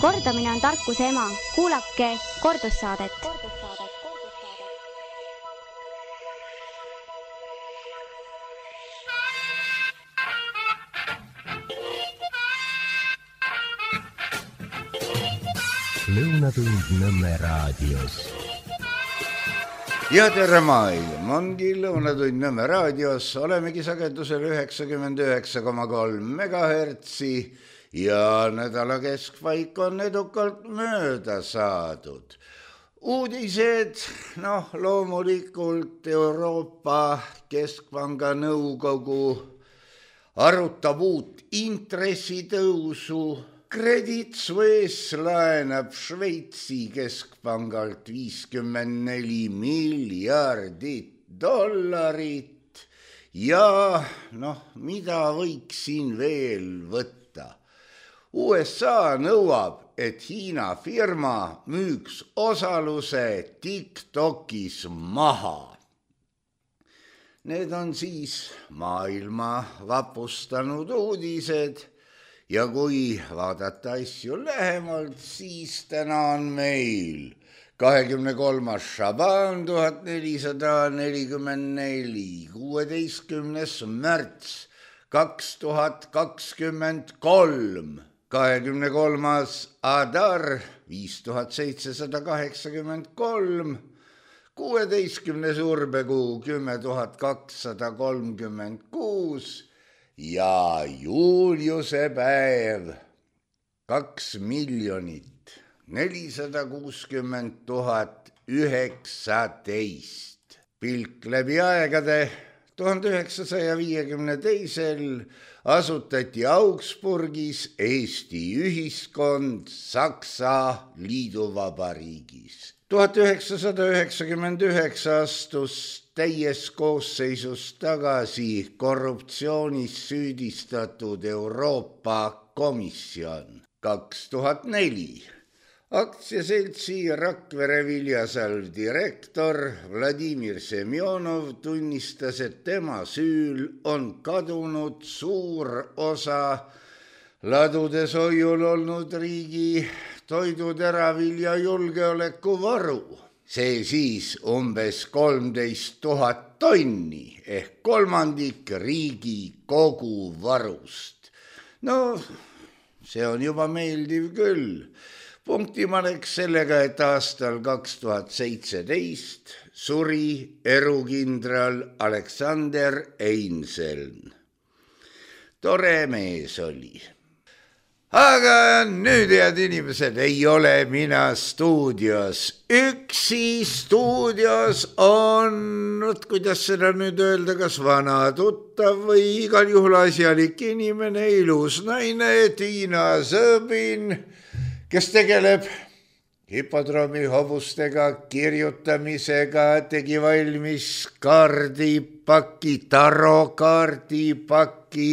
Kordamine on tarkuse ema. Kuulake kordussaadet. Lõunatund Nõmme raadios. Ja tere maailm, ongi Lõunatund Nõmme raadios, olemegi sagedusel 99,3 megahertsi ja nädala keskpaik on edukalt mööda saadud. Uudised, loomulikult Euroopa Keskpanga nõukogu arutab uut intressitõusu. Credit Suisse laenab Šveitsi keskpangalt $54 miljardit ja mida võiks siin veel võtta? USA nõuab, et Hiina firma müüks osaluse TikTokis maha. Need on siis maailma vapustanud uudised. Ja kui vaadata asju lähemalt, siis täna on meil 23. Šaban 1444, 16. märts 2023, 23. Adar 5783, 16. Urbekuu 10236, ja Juliuse päev 2 460 019. Pilk läbi aegade 1952. asutati Augsburgis Eesti ühiskond Saksa liiduvabariigis. 1999 astus täies koosseisus tagasi korruptsioonis süüdistatud Euroopa Komisjon. 2004 aktsiaseltsi Rakvere Viljasalv direktor Vladimir Semjonov tunnistas, et tema süül on kadunud suur osa ladudes hoiul olnud riigi toiduteravilja julgeolekuvaru. See siis umbes 13 000 tonni ehk kolmandik riigi kogu varust. See on juba meeldiv küll. Punktima läks sellega, et aastal 2017 suri erukindral Alexander Einseln. Tore mees oli. Aga nüüd, head inimesed, ei ole mina stuudios. Üksi stuudios on, kuidas seda nüüd öelda, kas vana tuttav või igal juhul asjalik inimene, ilus naine Tiina Sõbin, kes tegeleb hipodroomi hobustega kirjutamisega, tegi valmis kaardipaki, tarokaardipaki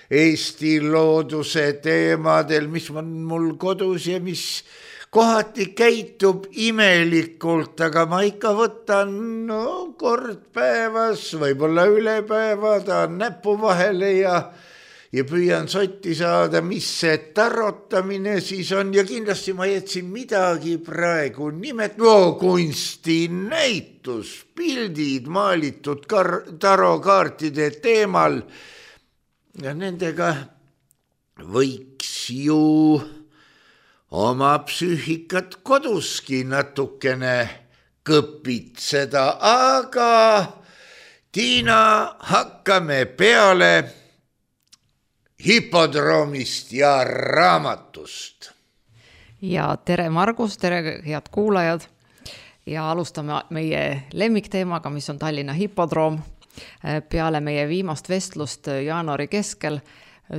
Eesti looduse teemadel, mis on mul kodus ja mis kohati käitub imelikult, aga ma ikka võtan kord päevas, võib-olla üle päeva, tahan näpu vahele ja püüan sotti saada, mis see tarotamine siis on ja kindlasti ma jätsin midagi praegu kunstinäitus, pildid maalitud tarokaartide teemal. Ja nendega võiks ju oma psüühikat koduski natukene kõpitseda, aga Tiina, hakkame peale hipodroomist ja raamatust. Ja tere Margus, tere head kuulajad ja alustame meie lemmikteemaga, mis on Tallinna hipodroom. Peale meie viimast vestlust jaanuari keskel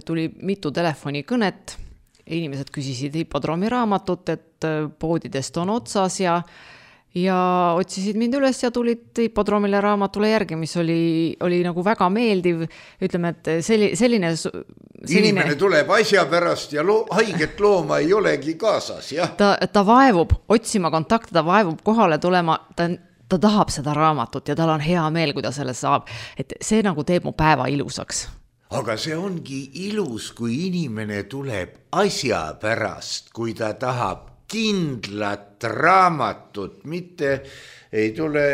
tuli mitu telefonikõnet. Inimesed küsisid hipodroomi raamatut, et poodidest on otsas ja otsisid mind üles ja tulid hipodroomile raamatule järgi, mis oli nagu väga meeldiv. Ütleme, et selline inimene tuleb asja pärast ja haiget looma ei olegi kaasas. Jah? Ta vaevub otsima kontakte, ta vaevub kohale tulema, ta tahab seda raamatut ja tal on hea meel, kui ta selle saab. Et see nagu teeb mu päeva ilusaks. aga see ongi ilus, kui inimene tuleb asja pärast, kui ta tahab kindlat raamatut, mitte ei tule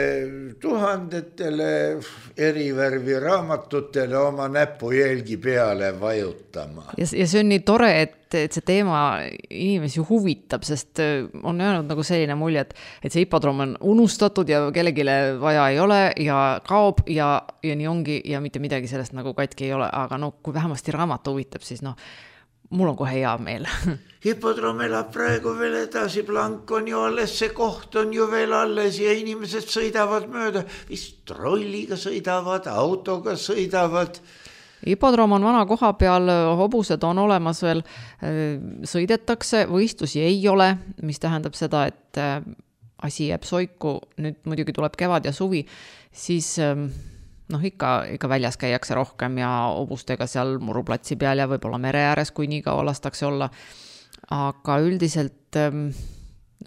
tuhandetele erivärvi raamatutele oma näpujälgi peale vajutama. Ja see on nii tore, et see teema inimesi huvitab, sest on jäänud nagu selline mulje, et see hipodroom on unustatud ja kellegile vaja ei ole ja kaob ja nii ongi ja mitte midagi sellest nagu katki ei ole, aga no kui vähemasti raamat huvitab, siis mul on kohe hea meel. Hipodroom elab praegu veel edasi, Blank on ju alles, see koht on ju veel alles ja inimesed sõidavad mööda, vist rolliga sõidavad, autoga sõidavad. Hipodroom on vana koha peal, hobused on olemas veel, sõidetakse, võistlusi ei ole, mis tähendab seda, et asi jääb soiku, nüüd muidugi tuleb kevad ja suvi, siis ikka väljas käiakse rohkem ja hobustega seal muruplatsi peal ja võib-olla mere ääres, kui nii kaua lastakse olla. Aga üldiselt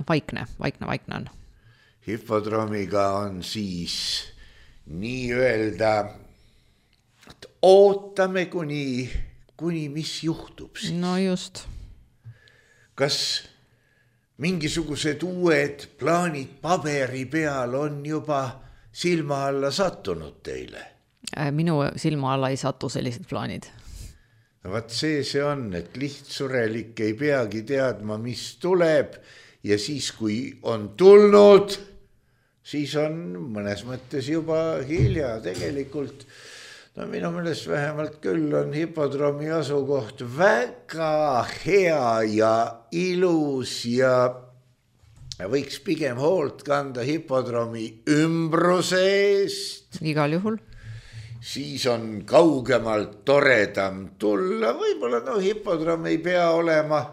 vaikne on. Hipodroomiga on siis nii öelda, et ootame kuni mis juhtub siis. No just. Kas mingisugused uued plaanid paberi peal on juba silma alla sattunud teile? Minu silma alla ei satu sellised plaanid. No vaat see on, et lihtsurelik ei peagi teadma, mis tuleb ja siis, kui on tulnud, siis on mõnes mõttes juba hilja tegelikult. No minu meelest vähemalt küll on hipodroomi asukoht väga hea ja ilus ja võiks pigem hoolt kanda hipodroomi ümbruse eest. Igal juhul. Siis on kaugemalt toredam tulla. Võib-olla hipodroom ei pea olema.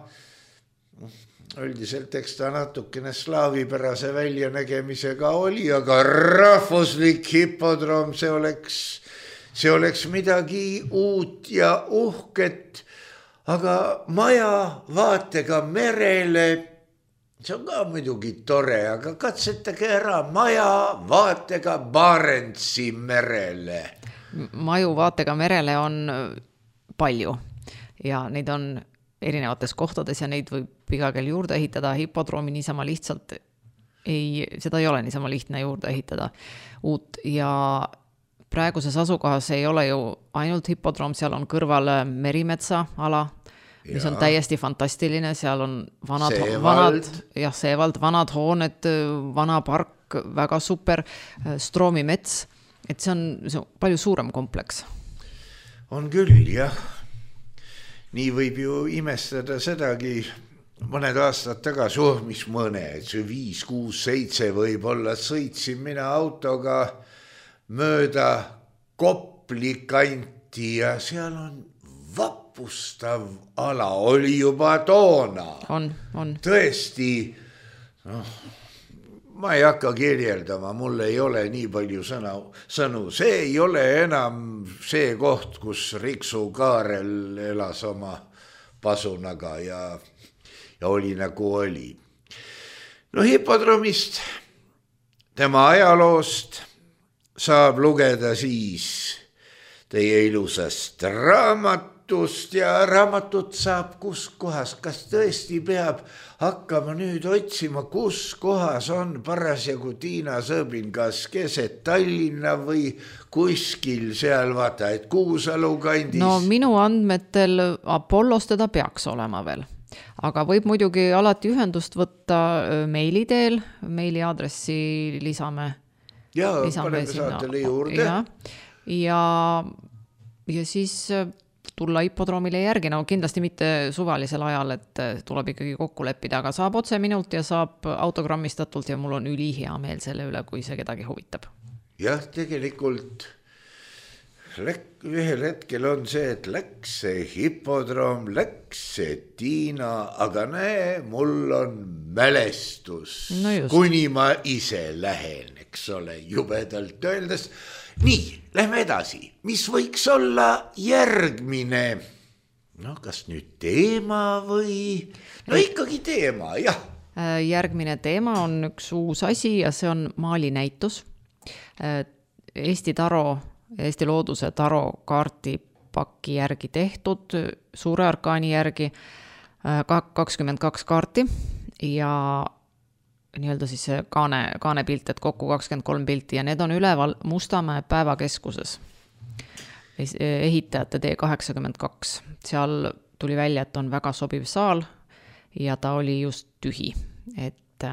Üldiselt eks ta natukene slaavipärase väljanägemisega oli, aga rahvuslik hipodroom, see oleks midagi uut ja uhket. Aga maja vaatega merele, see on ka muidugi tore, aga katsetage ära maja vaatega Barentsi merele. Maju vaatega merele on palju ja neid on erinevates kohtades ja neid võib iga kell juurde ehitada. Hipodroomi niisama lihtsalt seda ei ole niisama lihtne juurde ehitada uut ja praeguses asukohas ei ole ju ainult hipodroom, seal on kõrval Merimetsa ala, mis on täiesti fantastiline, seal on Seevald, vanad hooned, vana park, väga super, Stroomi mets, et see on palju suurem kompleks. On küll, jah. Nii võib ju imestada sedagi mõned aastad tagasi, mis mõned, see 5, 6, 7 võib-olla sõitsin mina autoga mööda Kopli kanti ja seal on vapustav ala, oli juba toona. On. Tõesti, ma ei hakka kirjeldama, mul ei ole nii palju sõnu. See ei ole enam see koht, kus Riksu Kaarel elas oma pasunaga ja oli nagu oli. No hipodroomist, tema ajaloost saab lugeda siis teie ilusast raamatust ja raamatut saab kus kohas. Kas tõesti peab hakkama nüüd otsima, kus kohas on parasjagu Tiina Sõõbin, kas keset Tallinna või kuskil seal, vaata, et Kuusalu kandis? No minu andmetel Apollos teda peaks olema veel. Aga võib muidugi alati ühendust võtta meili teel, meili aadressi lisame. Ja paneme saatele juurde. Ja siis tulla hipodroomile järgi, no kindlasti mitte suvalisel ajal, et tuleb ikkagi kokku leppida, aga saab otse minult ja saab autogrammistatult ja mul on ülihea meel selle üle, kui see kedagi huvitab. Jah, tegelikult ühel hetkel on see, et läks see hipodroom, läks see Tiina, aga näe, mul on mälestus, kuni ma ise lähen, eks ole, jubedalt öeldes. Nii, lähme edasi. Mis võiks olla järgmine? No, kas nüüd teema või? No ikkagi teema, jah. Järgmine teema on üks uus asi ja see on maalinäitus. Eesti looduse taro kaarti paki järgi tehtud, suure arkaani järgi, 22 kaarti ja nii-öelda siis kaane pilt, et kokku 23 pilti ja need on üleval Mustamäe päevakeskuses. Ehitajate D82. Seal tuli välja, et on väga sobiv saal ja ta oli just tühi, et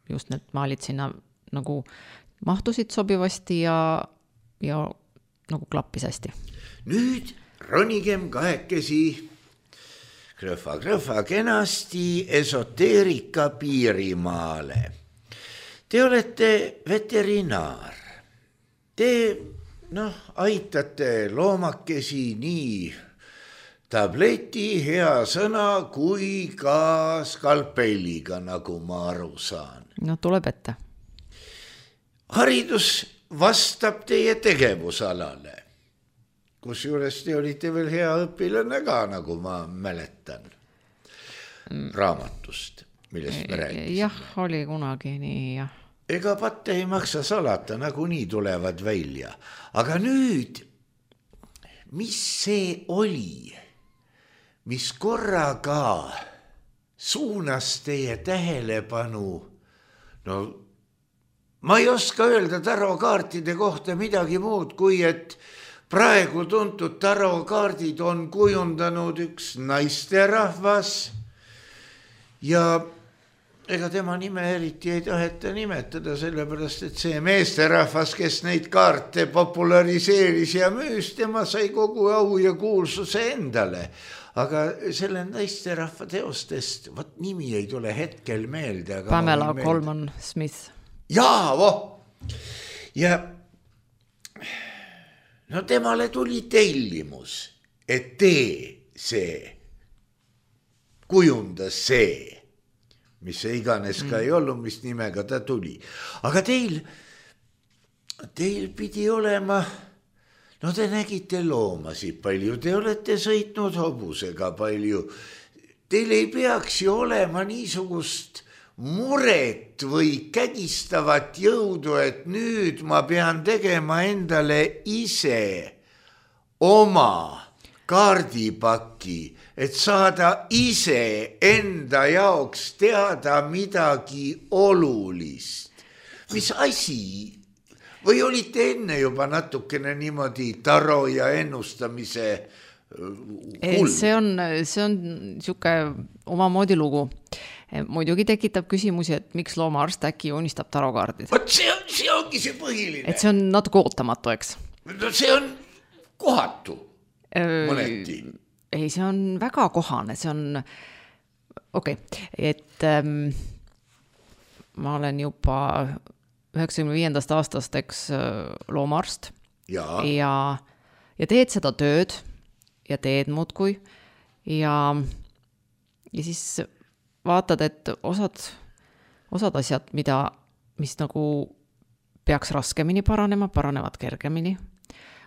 just need maalid sinna nagu mahtusid sobivasti ja nagu klappis hästi. Nüüd ronigem kahekesi krõhva kenasti esoteerika piirimaale. Te olete veterinaar. Te aitate loomakesi nii tableti, hea sõna kui ka skalpelliga, nagu ma aru saan. No tuleb ette. Haridus vastab teie tegevusalale. Kusjuures te olite veel hea õpilane ka, nagu ma mäletan raamatust, millest me rääkisime. Jah, oli kunagi nii, jah. Ega patte ei maksa salata, nagu nii tulevad välja. Aga nüüd, mis see oli, mis korraga suunas teie tähelepanu? No, ma ei oska öelda tarokaartide kohta midagi muud, kui et praegu tuntud tarokaardid on kujundanud üks naisterahvas ja ega tema nime eriti ei taheta nimetada, sellepärast et see meesterahvas, kes neid kaarte populariseeris ja müüs, tema sai kogu au ja kuulsuse endale. Aga selle naisterahva teostest, nimi ei tule hetkel meelde. Aga Pamela Colman Smith. Jaa, ja no temale tuli tellimus, et see kujundas see, mis see iganes ka ei olnud, mis nimega ta tuli. Aga teil pidi olema, no te nägite loomasid palju, te olete sõitnud hobusega palju. Teil ei peaks ju olema niisugust muret või kägistavat jõudu, et nüüd ma pean tegema endale ise oma kaardipaki, et saada ise enda jaoks teada midagi olulist. Mis asi? Või olite enne juba natukene niimoodi taro ja ennustamise hull? See on siuke omamoodi lugu. Muidugi tekitab küsimusi, et miks loomaarst äkki unistab tarokaardid. See ongi see põhiline. Et see on natuke ootamatu, eks? No see on kohatu mõneti. Ei, see on väga kohane, see on et ma olen juba 95. aastast, eks, loomaarst ja teed seda tööd ja teed muudkui ja siis vaatad, et osad asjad, mis nagu peaks raskemini paranevad kergemini.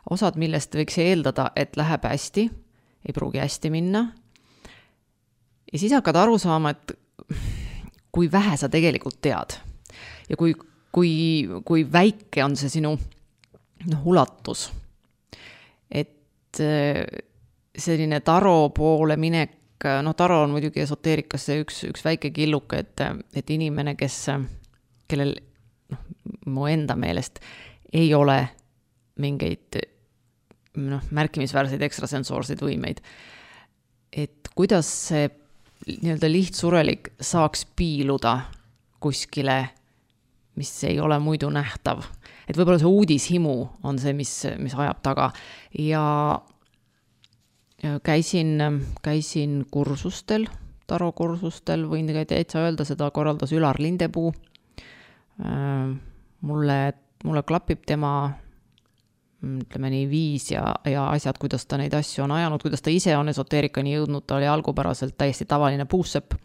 Osad, millest võiks eeldada, et läheb hästi, ei pruugi hästi minna. Ja siis hakkad aru saama, et kui vähe sa tegelikult tead ja kui väike on see sinu ulatus. Et selline taro poole minek, taro on muidugi esoteerikasse üks väike killuke, et inimene, kellel mu enda meelest ei ole mingeid märkimisväärseid ekstrasensoorseid võimeid. Et kuidas see nii-öelda lihtsurelik saaks piiluda kuskile, mis ei ole muidu nähtav. Et võib-olla see uudishimu on see, mis ajab taga. Ja käisin kursustel, tarokursustel, võin täitsa öelda, seda korraldas Ülar Lindepuu. Mulle klapib tema, ütleme nii, viis ja asjad, kuidas ta neid asju on ajanud, kuidas ta ise on esoteerikani jõudnud, ta oli algupäraselt täiesti tavaline puussepp.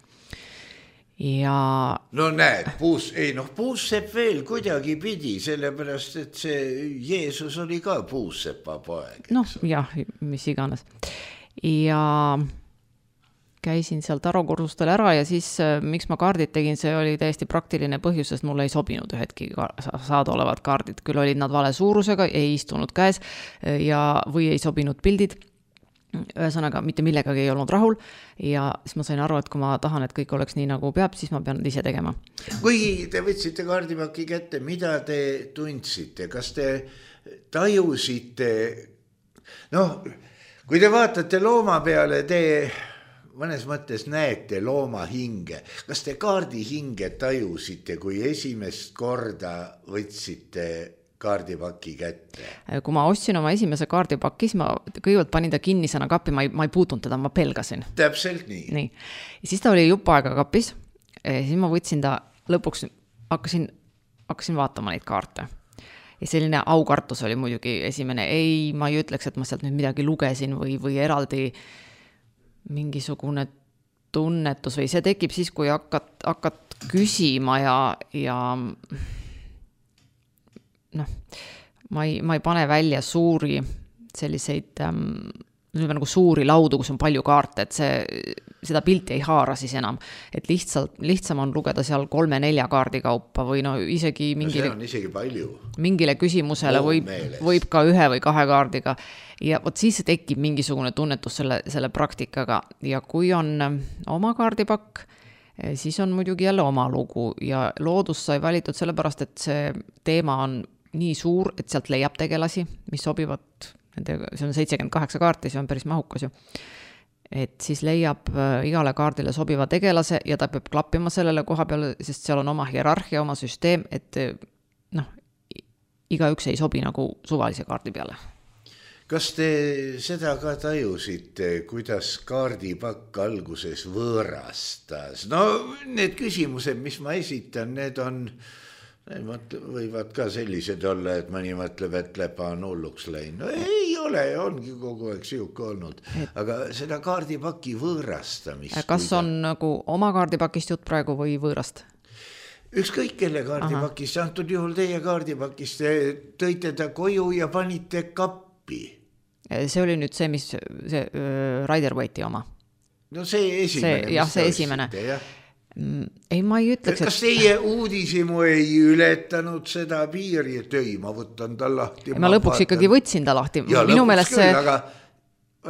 Ja... No näed, puussepp veel kuidagi pidi, sellepärast, et see Jeesus oli ka puussepa poeg. Jah, mis iganes. Ja käisin seal tarokursustel ära ja siis miks ma kaardid tegin, see oli täiesti praktiline põhjus, sest mulle ei sobinud ühedki saada olevad kaardid. Küll olid nad vale suurusega, ei istunud käes või ei sobinud pildid. Ühesõnaga, mitte millegagi ei olnud rahul ja siis ma sain aru, et kui ma tahan, et kõik oleks nii nagu peab, siis ma pean ise tegema. Kui te võtsite kaardipaki kätte, mida te tundsite? Kas te tajusite, kui te vaatate looma peale, te mõnes mõttes näete looma hinge. Kas te kaardi hinge tajusite, kui esimest korda võtsite kaardipaki kätte? Kui ma ostsin oma esimese kaardipaki, siis ma kõigepealt panin ta kinnisena kappi, ma ei puutunud teda, ma pelgasin. Täpselt nii. Ja siis ta oli jupp aega kapis, siis ma võtsin ta lõpuks, hakkasin vaatama neid kaarte. Ja selline aukartus oli muidugi esimene. Ma ei ütleks, et ma sealt nüüd midagi lugesin või eraldi mingisugune tunnetus või see tekib siis, kui hakkad küsima ja ma ei pane välja suuri selliseid nagu suuri laudu, kus on palju kaarte, et seda pilti ei haara siis enam, et lihtsam on lugeda seal 3-4 kaardi kaupa või isegi see on isegi palju. Mingile küsimusele võib ka 1 või 2 kaardiga ja vot siis tekib mingisugune tunnetus selle praktikaga ja kui on oma kaardipakk, siis on muidugi jälle oma lugu ja loodus sai valitud sellepärast, et see teema on nii suur, et sealt leiab tegelasi, mis sobivad, see on 78 kaarti, see on päris mahukas ju. Et siis leiab igale kaardile sobiva tegelase ja ta peab klappima sellele koha peale, sest seal on oma hierarhia, oma süsteem, et igaüks ei sobi nagu suvalise kaardi peale. Kas te seda ka tajusite, kuidas kaardipakk alguses võõrastas? Need küsimused, mis ma esitan, need võivad ka sellised olla, et mõni mõtleb, et lepa on hulluks läinud. Ei ole, ongi kogu aeg siuke olnud. Aga seda kaardipaki võõrastamist. Kas on nagu oma kaardipakist jutt praegu või võõrast? Ükskõik kelle kaardipakist, antud juhul teie kaardipakist, tõite ta koju ja panite kappi. See oli nüüd see, mis see Rider-Waite'i oma. See esimene. See esimene. Ei, ma ei ütleks, kas teie uudisimu ei ületanud seda piiri, et ma võtan ta lahti? Ma lõpuks ikkagi võtsin ta lahti. Ja lõpuks küll, aga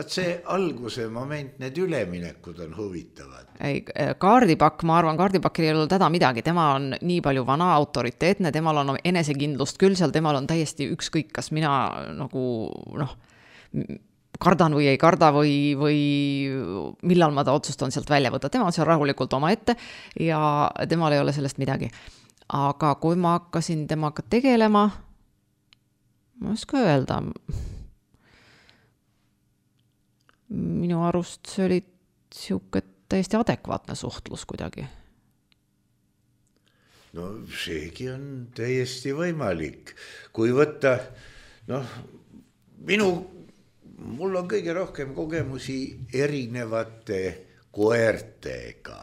see alguse moment, need üleminekud on huvitavad. Kaardipakk, ma arvan, kaardipakil ei ole täda midagi. Tema on nii palju vana autoriteetne, temal on enesekindlust küll seal, temal on täiesti ükskõik, kas mina nagu kardan või ei karda või millal ma ta otsustan sealt välja võtta. Tema on seal rahulikult oma ette ja temal ei ole sellest midagi. Aga kui ma hakkasin temaga tegelema, ma ei oska öelda, minu arust see oli siuke täiesti adekvaatne suhtlus kuidagi. Seegi on täiesti võimalik. Kui võtta, mul on kõige rohkem kogemusi erinevate koertega.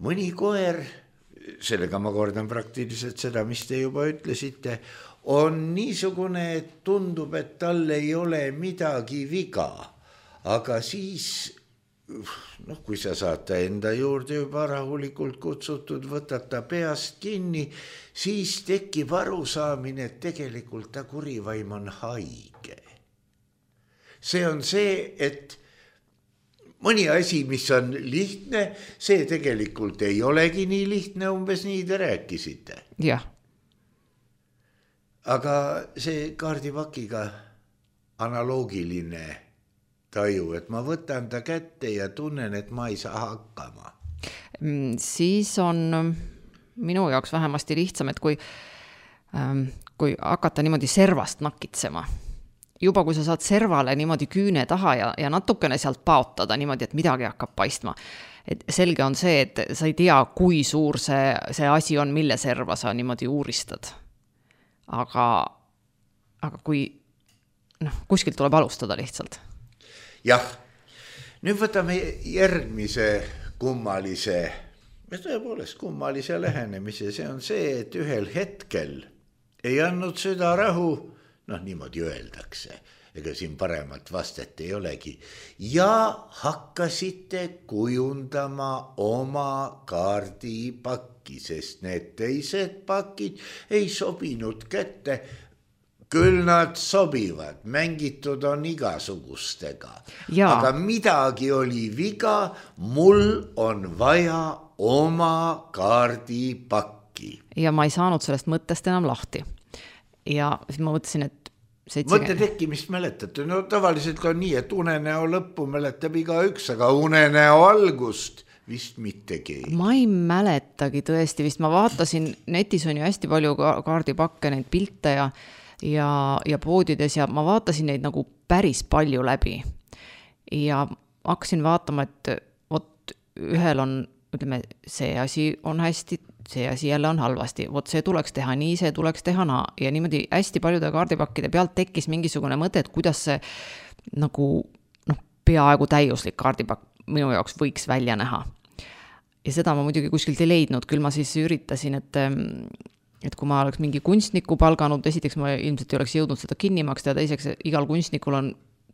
Mõni koer, sellega ma kordan praktiliselt seda, mis te juba ütlesite, on niisugune, et tundub, et tal ei ole midagi viga. Aga siis, kui sa saad ta enda juurde juba rahulikult kutsutud, võtad ta peast kinni, siis tekib arusaamine, et tegelikult ta kurivaim on haige. See on see, et mõni asi, mis on lihtne, see tegelikult ei olegi nii lihtne, umbes nii te rääkisite. Jah. Aga see kaardipakiga analoogiline taju, et ma võtan ta kätte ja tunnen, et ma ei saa hakkama. Siis on minu jaoks vähemasti lihtsam, et kui hakata niimoodi servast nakitsema, juba kui sa saad servale niimoodi küüne taha ja natukene sealt paotada niimoodi, et midagi hakkab paistma. Et selge on see, et sa ei tea, kui suur see asi on, mille serva sa niimoodi uuristad. Aga kui kuskilt tuleb alustada lihtsalt. Jah, nüüd võtame järgmise kummalise, tõepoolest kummalise lähenemise. See on see, et ühel hetkel ei andnud süda rahu, niimoodi öeldakse, ega siin paremat vastet ei olegi. Ja hakkasite kujundama oma kaardipakki, sest need teised pakid ei sobinud kätte. Küll nad sobivad, mängitud on igasugustega, aga midagi oli viga, mul on vaja oma kaardipakki. Ja ma ei saanud sellest mõttest enam lahti. Ja siis ma mõtlesin, et mõtte tekkimist mäletate, no tavaliselt on nii, et unenäo lõppu mäletab igaüks, aga unenäo algust vist mitte keegi. Ma ei mäletagi tõesti, vist ma vaatasin, netis on ju hästi palju kaardipakke, neid pilte ja poodides ja ma vaatasin neid nagu päris palju läbi ja hakkasin vaatama, et vot ühel on, ütleme, see asi on hästi, see asi jälle on halvasti, vot see tuleks teha nii, see tuleks teha naa ja niimoodi hästi paljude kaardipakkide pealt tekkis mingisugune mõte, et kuidas see nagu peaaegu täiuslik kaardipakk minu jaoks võiks välja näha. Ja seda ma muidugi kuskilt ei leidnud, küll ma siis üritasin, et kui ma oleks mingi kunstniku palganud, esiteks ma ilmselt ei oleks jõudnud seda kinni maksta ja teiseks igal kunstnikul on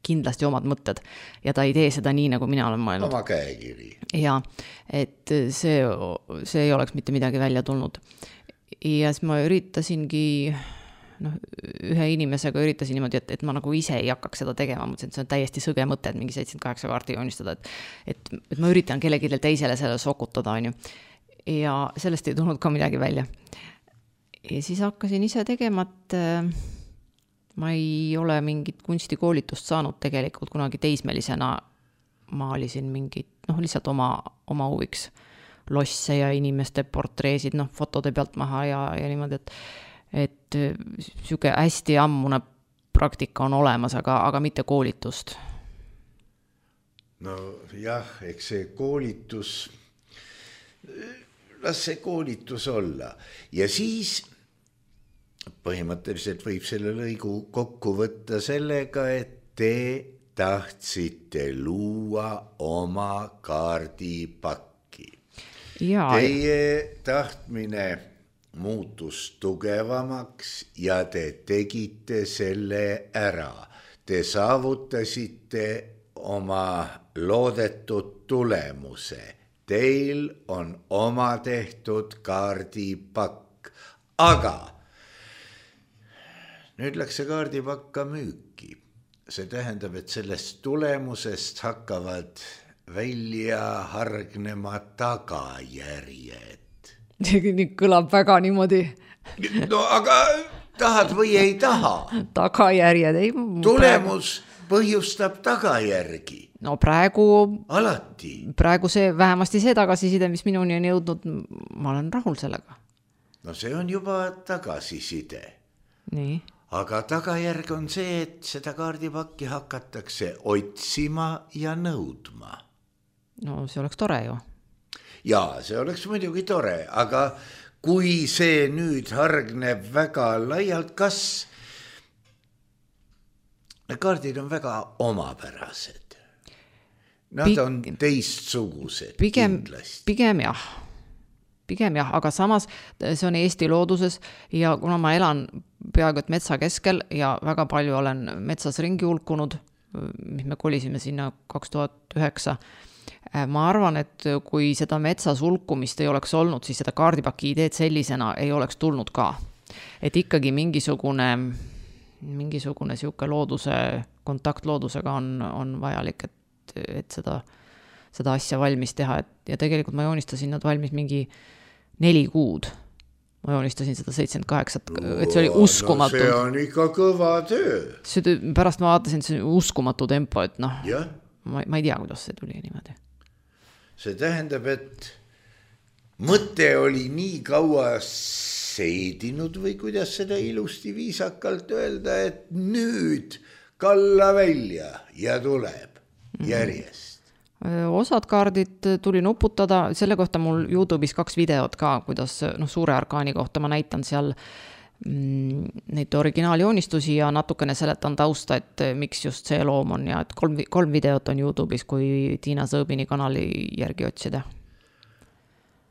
kindlasti omad mõtted ja ta ei tee seda nii, nagu mina olen mõelnud. Oma käekiri. Ja, et see ei oleks mitte midagi välja tulnud. Ja siis ma üritasingi, ühe inimesega üritasin niimoodi, et ma nagu ise ei hakkaks seda tegema, mõtlesin, et see on täiesti sõge mõte, et mingi 78 kaarti joonistada, et ma üritan kellelegi teisele selle sokutada, on ju. Ja sellest ei tulnud ka midagi välja. Ja siis hakkasin ise tegema, et ma ei ole mingit kunstikoolitust saanud tegelikult kunagi teismelisena. Maalisin mingit, lihtsalt oma huviks losse ja inimeste portreesid, fotode pealt maha ja niimoodi, et siuke hästi ammune praktika on olemas, aga mitte koolitust. No jah, eks see koolitus, las see koolitus olla ja siis põhimõtteliselt võib selle lõigu kokku võtta sellega, et te tahtsite luua oma kaardipakki. Teie tahtmine muutus tugevamaks ja te tegite selle ära. Te saavutasite oma loodetud tulemuse. Teil on oma tehtud kaardipakk, aga nüüd läks see kaardipakk ka müüki. See tähendab, et sellest tulemusest hakkavad välja hargnema tagajärjed. Nii kõlab väga niimoodi. No aga tahad või ei taha? Tagajärjed ei... Tulemus põhjustab tagajärgi. No praegu... Alati. Praegu see, vähemasti see tagasiside, mis minuni on jõudnud, ma olen rahul sellega. No see on juba tagasiside. Nii. Aga tagajärg on see, et seda kaardipakki hakatakse otsima ja nõudma. No see oleks tore ju. Jaa, see oleks muidugi tore, aga kui see nüüd hargneb väga laialt, kas need kaardid on väga omapärased? Nad on teistsugused kindlasti. Pigem jah, aga samas see on Eesti looduses ja kuna ma elan peaaegu et metsa keskel ja väga palju olen metsas ringi hulkunud, mis me kolisime sinna 2009, ma arvan, et kui seda metsas hulkumist ei oleks olnud, siis seda kaardipaki ideed sellisena ei oleks tulnud ka. Et ikkagi mingisugune siuke looduse, kontakt loodusega on vajalik, et seda asja valmis teha. Ja tegelikult ma joonistasin nad valmis mingi 4 kuud. Ma joonistasin seda 78, et see oli uskumatu. No see on ikka kõva töö. Pärast ma vaatasin, et see on uskumatu tempo, et ma ei tea, kuidas see tuli niimoodi. See tähendab, et mõte oli nii kaua seedinud või kuidas seda ilusti viisakalt öelda, et nüüd kalla välja ja tuleb järjest. Osad kaardid tuli nuputada, selle kohta mul YouTube'is 2 videot ka, kuidas suure arkaani kohta ma näitan seal neid originaalijoonistusi ja natukene seletan tausta, et miks just see loom on ja et 3 videot on YouTube'is, kui Tiina Sõõbini kanali järgi otsida.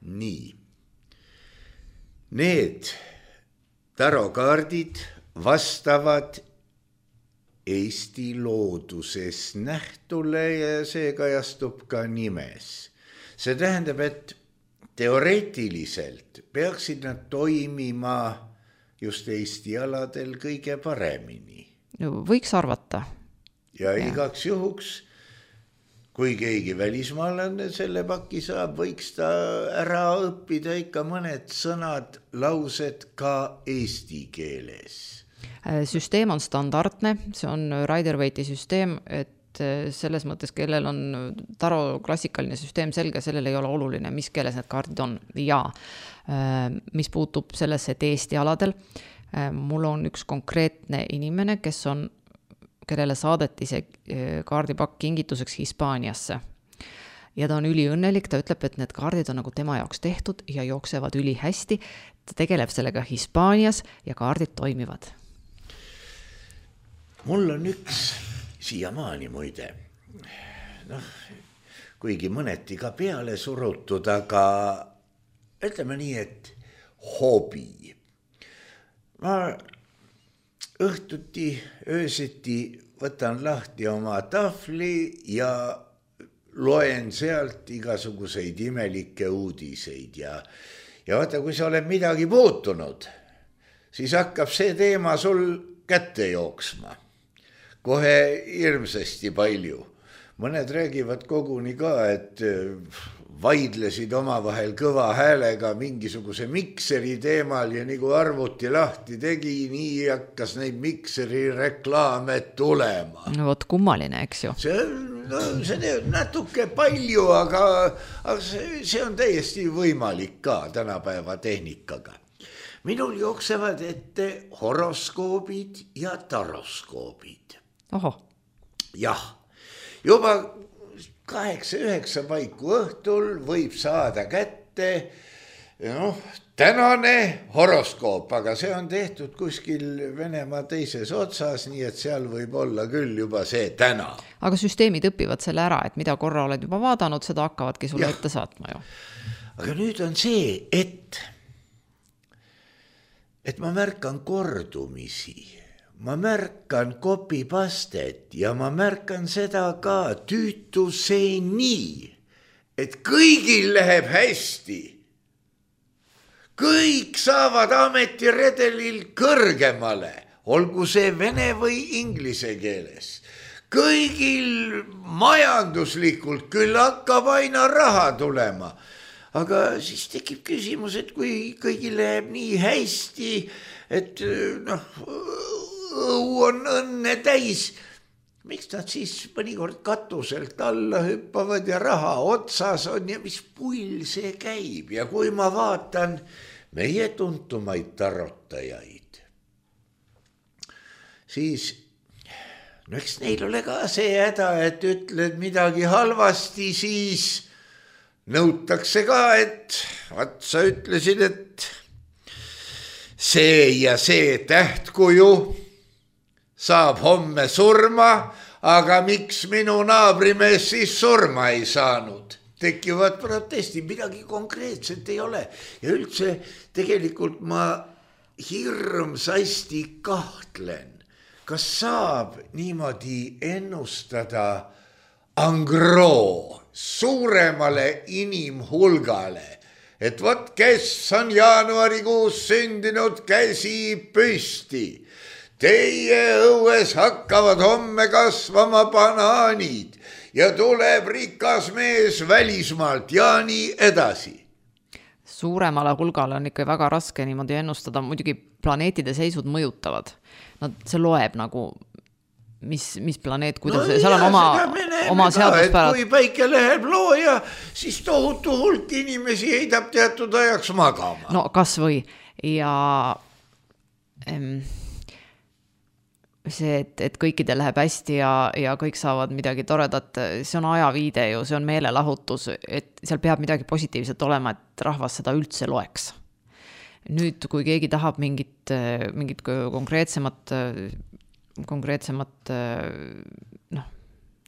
Nii. Need tarokaardid vastavad Eesti looduses nähtule ja see kajastub ka nimes. See tähendab, et teoreetiliselt peaksid nad toimima just Eesti aladel kõige paremini. No, võiks arvata. Ja igaks juhuks, kui keegi välismaalane selle paki saab, võiks ta ära õppida ikka mõned sõnad, laused ka eesti keeles. Süsteem on standardne, see on Rider-Waite'i süsteem, et selles mõttes, kellel on Taro klassikaline süsteem selge, sellel ei ole oluline, mis keeles need kaardid on. Ja mis puutub sellesse, et Eesti aladel, mul on üks konkreetne inimene, kellele saadeti see kaardipakk kingituseks Hispaaniasse. Ja ta on üliõnnelik, ta ütleb, et need kaardid on nagu tema jaoks tehtud ja jooksevad üli hästi. Ta tegeleb sellega Hispaanias ja kaardid toimivad. Mul on üks siiamaani muide, kuigi mõneti ka peale surutud, aga ütleme nii, et hobi. Ma õhtuti, öösiti võtan lahti oma tahvli ja loen sealt igasuguseid imelikke uudiseid ja vaata, kui sa oled midagi puutunud, siis hakkab see teema sul kätte jooksma. Kohe hirmsasti palju. Mõned räägivad koguni ka, et vaidlesid omavahel kõva häälega mingisuguse mikseri teemal ja nagu arvuti lahti tegi, nii hakkas neid mikseri reklaame tulema. No vot kummaline, eks ju. See teeb natuke palju, aga see on täiesti võimalik ka tänapäeva tehnikaga. Minul jooksevad ette horoskoobid ja taroskoobid. Oho. Jah, juba 8-9 paiku õhtul võib saada kätte tänane horoskoop, aga see on tehtud kuskil Venemaa teises otsas, nii et seal võib olla küll juba see täna. Aga süsteemid õpivad selle ära, et mida korra oled juba vaadanud, seda hakkavadki sulle ette saatma ju. Aga nüüd on see, et ma märkan kordumisi. Ma märkan copy-pastet ja ma märkan seda ka tüütuseni, et kõigil läheb hästi. Kõik saavad ametiredelil kõrgemale, olgu see vene või inglise keeles. Kõigil majanduslikult küll hakkab aina raha tulema. Aga siis tekib küsimus, et kui kõigil läheb nii hästi, et õu on õnne täis, miks nad siis mõnikord katuselt alla hüppavad ja raha otsas on ja mis pull see käib. Ja kui ma vaatan meie tuntumaid tarotajaid, siis eks neil ole ka see häda, et ütled midagi halvasti, siis nõutakse ka, et sa ütlesid, et see ja see tähtkuju saab homme surma, aga miks minu naabrimees siis surma ei saanud? Tekivad protesti, midagi konkreetset ei ole. Ja üldse tegelikult ma hirmsasti kahtlen, kas saab niimoodi ennustada angroo suuremale inimhulgale, et vot kes on jaanuarikuus sündinud, käsi püsti. Teie õues hakkavad homme kasvama banaanid ja tuleb rikas mees välismaalt ja nii edasi. Suuremale hulgale on ikka väga raske niimoodi ennustada, muidugi planeetide seisud mõjutavad. See loeb nagu, mis planeet, kuidas seal on oma seaduspärad. Kui päike läheb looja, siis tohutu hulk inimesi heidab teatud ajaks magama. No kas või ja see, et kõikidel läheb hästi ja kõik saavad midagi toredat, see on ajaviide ju, see on meelelahutus, et seal peab midagi positiivset olema, et rahvas seda üldse loeks. Nüüd, kui keegi tahab mingit konkreetsemat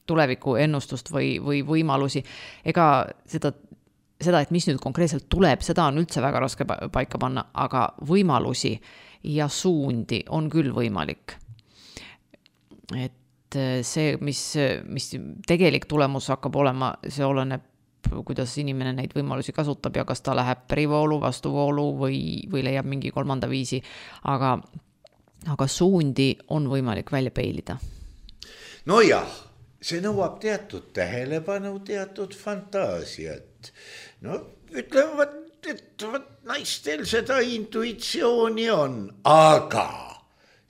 tuleviku ennustust või võimalusi, ega seda, et mis nüüd konkreetselt tuleb, seda on üldse väga raske paika panna, aga võimalusi ja suundi on küll võimalik. et see, mis tegelik tulemus hakkab olema, see oleneb, kuidas inimene neid võimalusi kasutab ja kas ta läheb perivoolu, vastuvoolu või leiab mingi kolmanda viisi, aga suundi on võimalik välja peilida. No jah, see nõuab teatud tähelepanu, teatud fantaasiat. No ütlevad, et naistel seda intuitsiooni on, aga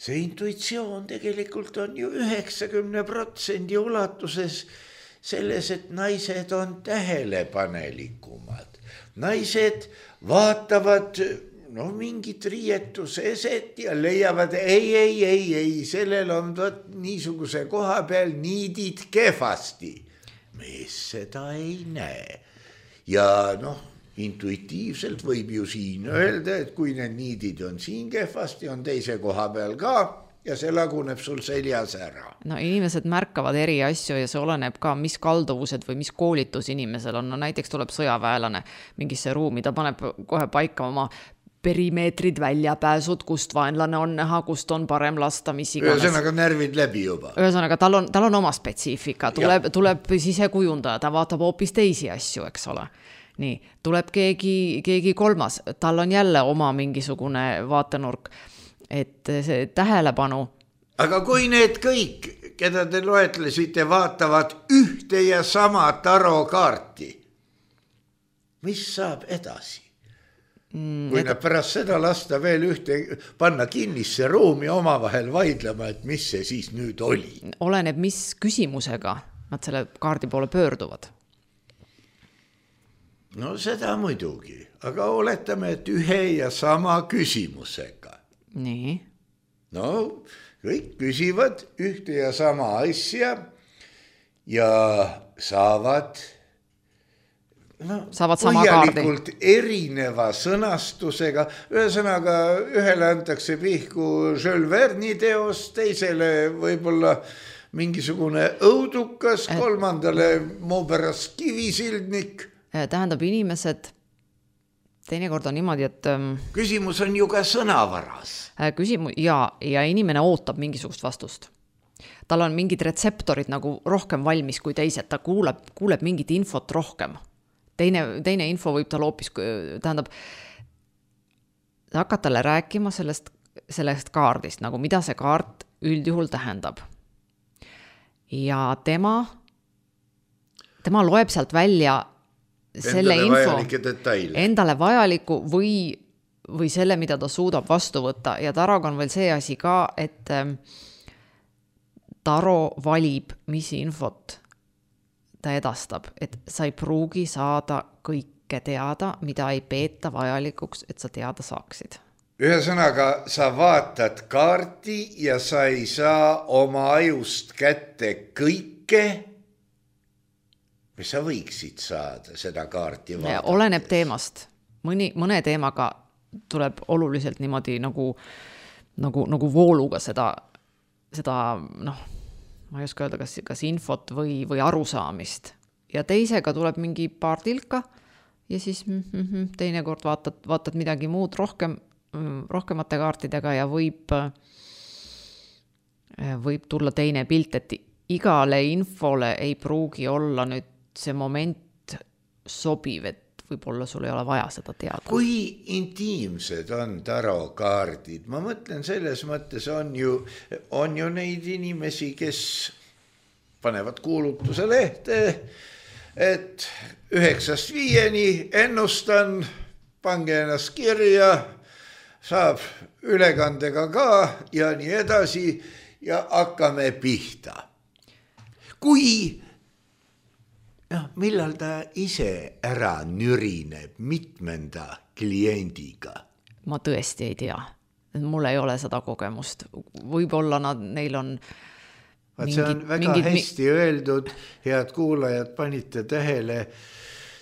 see intuitsioon tegelikult on ju 90% ulatuses selles, et naised on tähelepanelikumad. Naised vaatavad mingit riietuseset ja leiavad, ei, sellel on niisuguse koha peal niidid kehvasti. Mees seda ei näe. Ja intuitiivselt võib ju siin öelda, et kui need niidid on siin kehvasti, on teise koha peal ka ja see laguneb sul seljas ära. No inimesed märkavad eri asju ja see oleneb ka, mis kalduvused või mis koolitus inimesel on. No näiteks tuleb sõjaväelane mingisse ruumi, ta paneb kohe paika oma perimeetrid, väljapääsud, kust vaenlane on näha, kust on parem lasta, mis iganes. Ühesõnaga närvid läbi juba. Ühesõnaga tal on oma spetsiifika, tuleb sisekujundaja, ta vaatab hoopis teisi asju, eks ole. Nii, tuleb keegi kolmas, tal on jälle oma mingisugune vaatenurk, et see tähelepanu. Aga kui need kõik, keda te loetlesite, vaatavad ühte ja sama tarokaarti, mis saab edasi? Kui nad pärast seda lasta veel panna kinnisse ruumi omavahel vaidlema, et mis see siis nüüd oli? Oleneb, mis küsimusega nad selle kaardi poole pöörduvad. No seda muidugi, aga oletame, et ühe ja sama küsimusega. Nii. No kõik küsivad ühte ja sama asja ja saavad sama põhjalikult erineva sõnastusega. Ühesõnaga, ühele antakse pihku Jules Verne'i teost, teisele võib-olla mingisugune õudukas, kolmandale muu pärast kivisildnik. Tähendab, inimesed, teinekord on niimoodi, et küsimus on ju ka sõnavaras. Ja inimene ootab mingisugust vastust. Tal on mingid retseptorid nagu rohkem valmis kui teised, ta kuuleb mingit infot rohkem. Teine info võib tal hoopis, tähendab, hakkad talle rääkima sellest kaardist, nagu mida see kaart üldjuhul tähendab. Ja tema loeb sealt välja selle endale vajaliku või selle, mida ta suudab vastu võtta. Ja taroga on veel see asi ka, et taro valib, mis infot ta edastab, et sa ei pruugi saada kõike teada, mida ei peeta vajalikuks, et sa teada saaksid. Ühesõnaga, sa vaatad kaarti ja sa ei saa oma ajust kätte kõike, mis sa võiksid saada seda kaarti vaadata. Oleneb teemast. Mõne teemaga tuleb oluliselt niimoodi nagu vooluga seda ma ei oska öelda, kas infot või arusaamist. Ja teisega tuleb mingi paar tilka ja siis teinekord vaatad midagi muud rohkemate kaartidega ja võib tulla teine pilt, et igale infole ei pruugi olla nüüd see moment sobiv, et võib-olla sul ei ole vaja seda teada. Kui intiimsed on tarokaardid? Ma mõtlen, selles mõttes on ju neid inimesi, kes panevad kuulutuse lehte, et 9-5 ennustan, pange ennast kirja, saab ülekandega ka ja nii edasi ja hakkame pihta. Millal ta ise ära nürineb mitmenda kliendiga? Ma tõesti ei tea. Mul ei ole seda kogemust. Võib-olla neil on see on väga hästi öeldud, head kuulajad, panite tähele.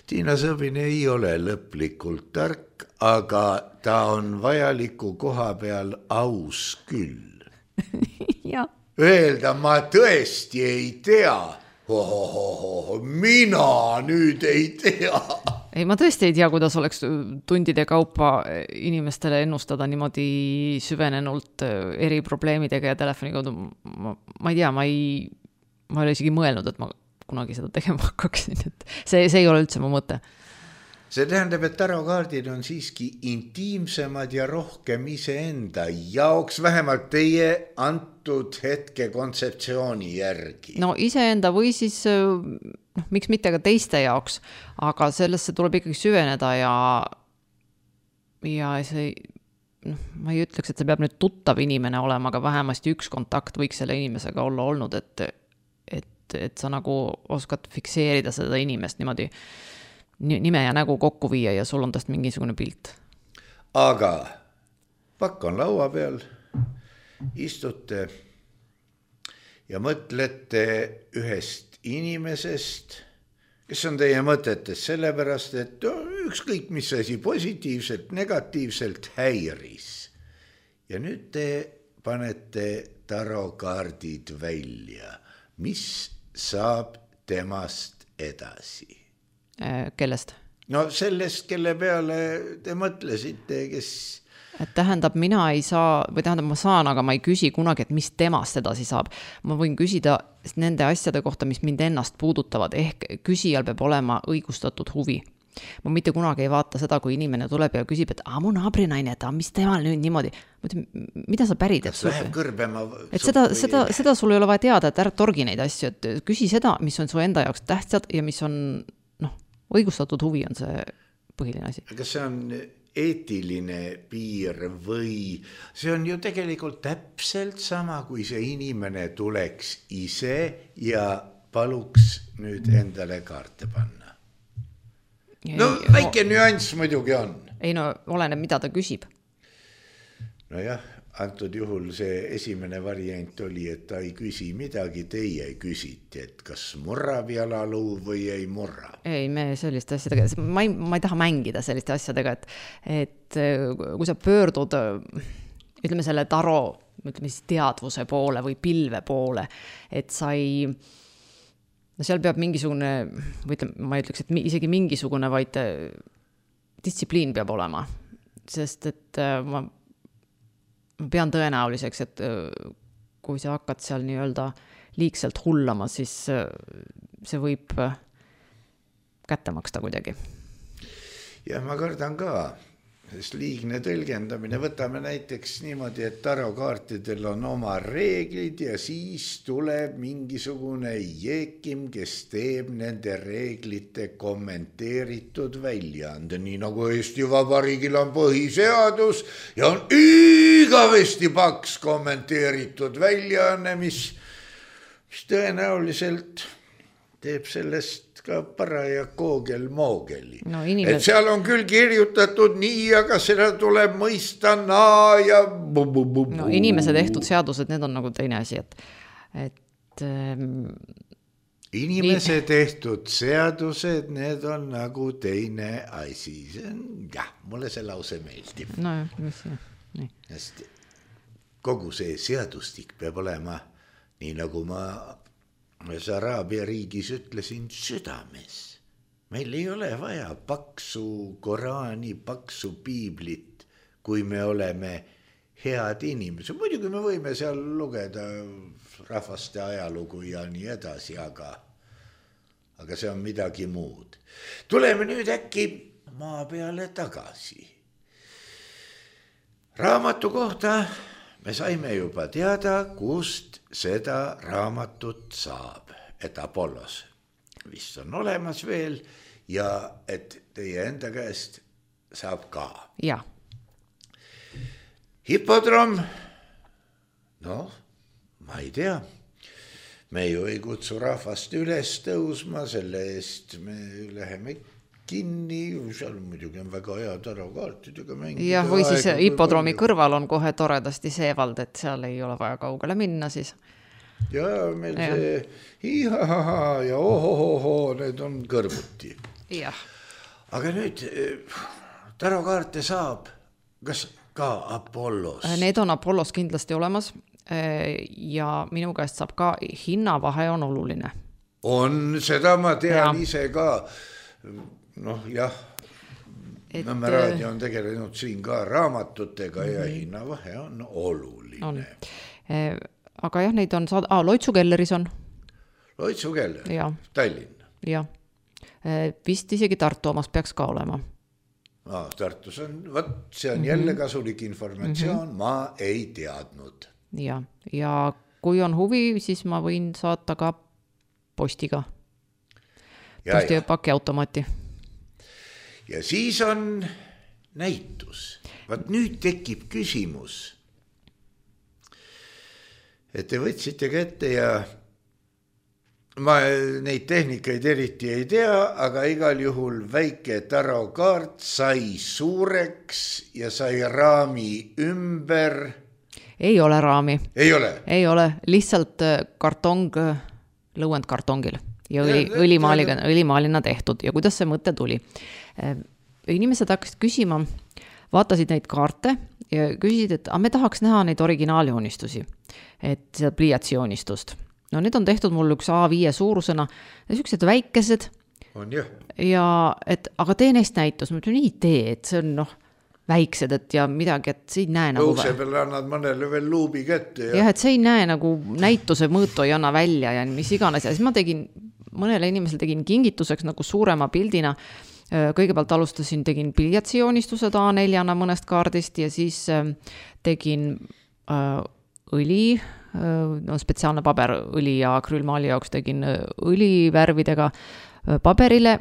Tiina Sõbin ei ole lõplikult tark, aga ta on vajaliku koha peal aus küll. Öelda, ma tõesti ei tea. Mina nüüd ei tea. Ei, ma tõesti ei tea, kuidas oleks tundide kaupa inimestele ennustada niimoodi süvenenult eri probleemidega ja telefoni kaudu. Ma ei tea, ma ei ole isegi mõelnud, et ma kunagi seda tegema hakkaksin. Et see ei ole üldse mu mõte. See tähendab, et tarokaardid on siiski intiimsemad ja rohkem iseenda jaoks, vähemalt teie antud hetke kontseptsiooni järgi. No iseenda või siis, miks mitte ka teiste jaoks, aga sellesse tuleb ikkagi süveneda ja see, ma ei ütleks, et see peab nüüd tuttav inimene olema, aga vähemasti üks kontakt võiks selle inimesega olla olnud, et sa nagu oskad fikseerida seda inimest niimoodi, nime ja nägu kokku viia ja sul on tast mingisugune pilt. Aga pakk on laua peal, istute ja mõtlete ühest inimesest, kes on teie mõtetes sellepärast, et ükskõik mis asi positiivselt, negatiivselt häiris. Ja nüüd te panete tarokaardid välja. Mis saab temast edasi? Kellest? No sellest, kelle peale te mõtlesite, kes... Et tähendab, mina ei saa, või tähendab, ma saan, aga ma ei küsi kunagi, et mis temast edasi saab. Ma võin küsida nende asjade kohta, mis mind ennast puudutavad, ehk küsijal peab olema õigustatud huvi. Ma mitte kunagi ei vaata seda, kui inimene tuleb ja küsib, et mu naabrinaine, et mis temal nüüd niimoodi. Mida sa pärid? Kas läheb kõrbema? Et seda sul ei ole vaja teada, et ära torgi neid asju, et küsi seda, mis on su enda jaoks tähtsad ja mis on õigustatud huvi on see põhiline asi. Kas see on eetiline piir või see on ju tegelikult täpselt sama, kui see inimene tuleks ise ja paluks nüüd endale kaarte panna? No väike nüanss muidugi on. Ei no, oleneb, mida ta küsib. No jah, antud juhul see esimene variant oli, et ta ei küsi midagi, teie küsiti, et kas murrab jalaluu või ei murra. Ei, me selliste asjadega, ma ei taha mängida selliste asjadega, et kui sa pöördud, ütleme selle taro, ütleme siis teadvuse poole või pilve poole, et sa ei, no seal peab mingisugune, või ütleme, ma ei ütleks, et isegi mingisugune, vaid distsipliin peab olema, sest et ma pean tõenäoliseks, et kui sa hakkad seal nii-öelda liigselt hullama, siis see võib kätte maksta kuidagi. Ja ma kardan ka, sest liigne tõlgendamine, võtame näiteks niimoodi, et tarokaartidel on oma reeglid ja siis tuleb mingisugune jeekim, kes teeb nende reeglite kommenteeritud väljaande, nii nagu Eesti Vabariigil on põhiseadus ja on igavesti paks kommenteeritud väljaanne, mis tõenäoliselt teeb sellest ka paraja koogel-moogeli. No, et seal on küll kirjutatud nii, aga seda tuleb mõista naa ja No inimese tehtud seadused, need on nagu teine asi, et inimese tehtud seadused, need on nagu teine asi. Jah, mulle see lause meeldib. No, mis see? Nii. Hästi. Kogu see seadustik peab olema, nii nagu ma Araabia riigis ütlesin, südames. Meil ei ole vaja paksu Koraani, paksu piiblit, kui me oleme head inimesed. Muidugi me võime seal lugeda rahvaste ajalugu ja nii edasi, aga see on midagi muud. Tuleme nüüd äkki maa peale tagasi. Raamatu kohta me saime juba teada, kust seda raamatut saab, et Apollos vist on olemas veel ja et teie enda käest saab ka. Ja. Hippodrom, noh, ma ei tea. Me ju ei kutsu rahvast üles tõusma, selle eest me läheme kinni, seal muidugi on väga hea tarokaartidega mängida. Ja või siis hippodroomi kõrval on kohe toredasti seevald, et seal ei ole vaja kaugele minna siis. Ja meil see ihahaha ja ohohoho, need on kõrvuti. Jah. Aga nüüd tarokaarte saab, kas ka Apollos? Need on Apollos kindlasti olemas ja minu käest saab ka hinnavahe on oluline. On, seda ma tean ise ka. Noh jah, Nõmme raadio on tegelenud siin ka raamatutega ja hinnavahe on oluline. Aga jah, neid on Loitsu kelleris on. Loitsu keller, Tallinn. Jah, vist isegi Tartu omas peaks ka olema. Tartus on, see on jälle kasulik informatsioon, ma ei teadnud. Ja kui on huvi, siis ma võin saata ka postiga. Postipaki automaati. Ja siis on näitus. Nüüd tekib küsimus, et te võtsite kätte ja ma neid tehnikaid eriti ei tea, aga igal juhul väike tarokaart sai suureks ja sai raami ümber. Ei ole raami. Ei ole, lihtsalt kartong lõuendkartongil ja õlimaalina tehtud. Ja kuidas see mõte tuli? Inimesed hakkasid küsima, vaatasid neid kaarte ja küsisid, et me tahaks näha neid originaaljoonistusi, et seda pliiatsijoonistust. No need on tehtud mul üks A5 suurusena ja sellised väikesed. On jah. Ja aga tee neist näitus. Ma ütlen, nii tee, et see on väiksed, et ja midagi, et see ei näe nagu... Õuse peale annad mõnele veel luubi kätte. Ja et see ei näe nagu näituse mõõtu ei anna välja ja mis iganes. Ja siis ma tegin, mõnele inimesele tegin kingituseks nagu suurema pildina. Kõigepealt tegin pliiatsijoonistused A4-na mõnest kaardist ja siis tegin õli, spetsiaalne paberõli ja akrüülmaali jaoks tegin õlivärvidega paberile